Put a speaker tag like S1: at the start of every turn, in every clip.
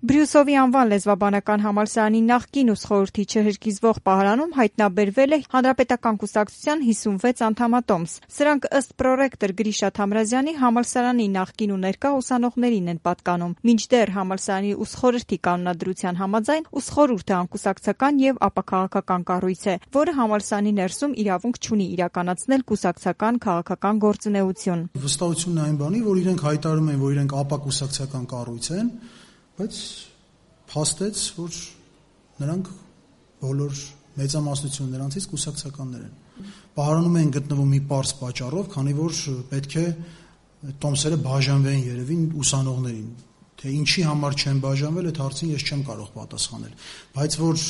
S1: Բրյուսովի անվան լեզվաբանական համալսարանի նախկին ուսխորհրդի չհրկիզվող պահարանում հայտնաբերվել է Հանրապետական կուսակցության 56 անդամատոմս։ Սրանք ըստ պրոռեկտոր Գրիշա Թամրազյանի համալսարանի նախկին ու ներկա ուսանողներին են պատկանում։ Մինչդեռ համալսարանի ուսխորհրդի կանոնադրության համաձայն ուսխորհուրդը անկուսակցական եւ ապաքաղաքական կառույց է, որը համալսարանի ներսում իրավունք չունի իրականացնել կուսակցական քաղաքական գործունեություն։
S2: Վստահությունն այն բանի, որ իրենք հայտարարում են, որ իրենք ապակուսակցական կառույց են, բայց փաստեց, որ նրանք բոլոր մեծամասնություն նրանցից կուսակցականներ են։ Պահարանում են գտնվում մի պարզ պատճառով, քանի որ պետք է տոմսերը բաժանվեն երևի ուսանողներին։ Թե ինչի համար չեն բաժանվել, այդ հարցին ես չեմ կարող պատասխանել, բայց որ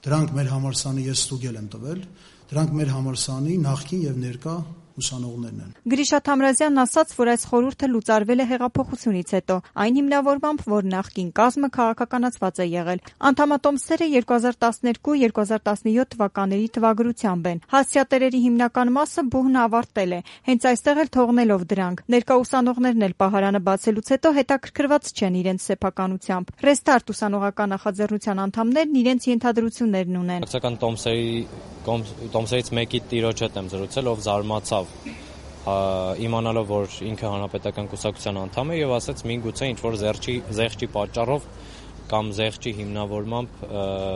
S2: դրանք մեր համալսարանի ես ստուգել եմ տվել, դրանք մեր համալսարանի նախկին եւ ներկա ուսանողներն են։
S1: Գրիշա Թամրազյանն ասաց, որ այս խորհուրդը լուծարվել է հեղափոխությունից հետո, այն հիմնավորմամբ, որ նախկին կազմը քաղաքականացված է եղել։ Անդամատոմսերը 2012-2017 թվականների թվագրությամբ են։ Հասցեատերերի հիմնական մասը բուհն ավարտել է, հենց այստեղ էլ թողնելով դրանք։ Ներկա ուսանողներն էլ պահարանը բացելուց հետո հետաքրքրված չեն իրենց սեփականությամբ։ Ռեստարտ ուսանողական նախաձեռնության անդամներն իրենց ենթադրություններն ունեն։
S3: Տոմսերից մեկի տիրոջ հետ եմ զրուցել, ով զարմացավ իմանալով, որ ինքը հանրապետական կուսակցության անդամ է եւ ասաց միգուցե ինչ-որ զեղչի պատճառով կամ զեղչի հիմնավորմամբ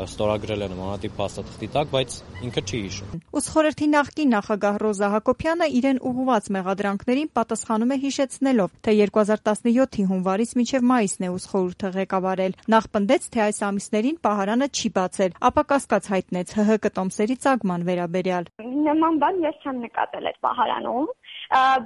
S3: ստորագրել է նմանատիպ փաստաթղթի տակ, բայց ինքը չի հիշում։
S1: Ուսխորհրդի նախկին նախագահ Ռոզա Հակոբյանը իրեն ուղղված մեղադրանքներին պատասխանում է հիշեցնելով, թե 2017-ի հունվարից մինչև մայիսն է ուսխորհուրդը ղեկավարել։ Նախ պնդեց, թե այս ամիսներին պահարանը չի բացել, ապա կասկած հայտնեց ՀՀԿ տոմսերի ծագման վերաբերյալ։
S4: Նման բան ես չեմ նկատել այդ պահարանում,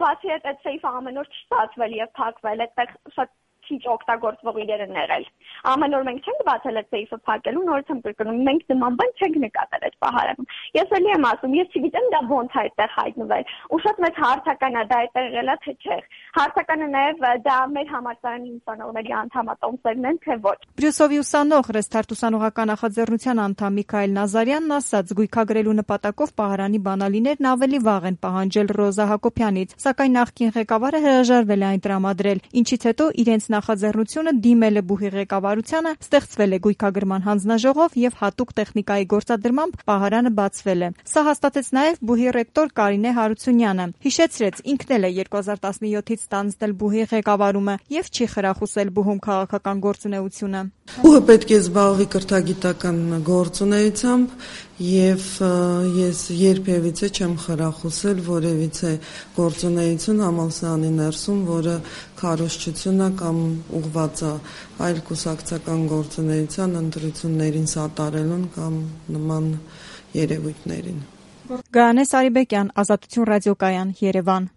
S4: բացի այդ սեյֆը ամեն օր չի ստացվել եւ փակվել, այդտեղ շատ քիչ օգտագործվող իրեր են եղել։ Ամեն օր մենք չենք բացել այդ սեյֆը փակելու, նորից եմ կրկնում, մենք նման բան չենք նկատել այդ պահարանում։ Ես էլի եմ ասում, ես չգիտեմ դա ոնց է այդտեղ հայտնվել։ Ու շատ մեծ հարցական է դա այդտեղ եղել է թե չէ։ Հարցականը նաեւ դա մեր համալսարանի ուսանողների անդամատոմսերն են, թե ոչ։
S1: Բրյուսովի ուսանող Ռեստարտ ուսանողական նախաձեռնության անդամ Միքայել Նազարյանն ասաց, գույքագրելու նպատակով պահարանի բանալիներն ավելի վաղ են պահանջել Ռոզա Հակոբյանից, սակայն նախկին ղեկավարը հրաժարվել է այն տրամադրել, ինչից հետո իրենց նախաձեռնությունը դիմել է բուհի ղեկավարությանը, ստեղծվել է գույքագրման հանձնաժողով եւ հատուկ տեխնիկայի գործադրմամբ պահարանը բացվել է։ Սա հաստատեց նաեւ բուհի ռեկտոր Կարինե Հարությունյանը։ Հիշեցրեց, ինքն էլ է 2017-ից ստանձնել բուհի ղեկավարումը եւ չի խրախուսել բուհում քաղաքական գործունեությունը։
S5: Բուհը պետք է զբաղվի կրթագիտական գործունեությամբ եւ ես երբևիցե չեմ խրախուսել որևիցե գործունեություն համալսարանի ներսում, որը քարոզչություն է կամ ուղղված է այլ կուսակցական գործունեության ընտրություններին սատարելուն կամ նման երևույթներին։
S1: Գայանե Սարիբեկյան, Ազատություն ռադիոկայան, Երևան։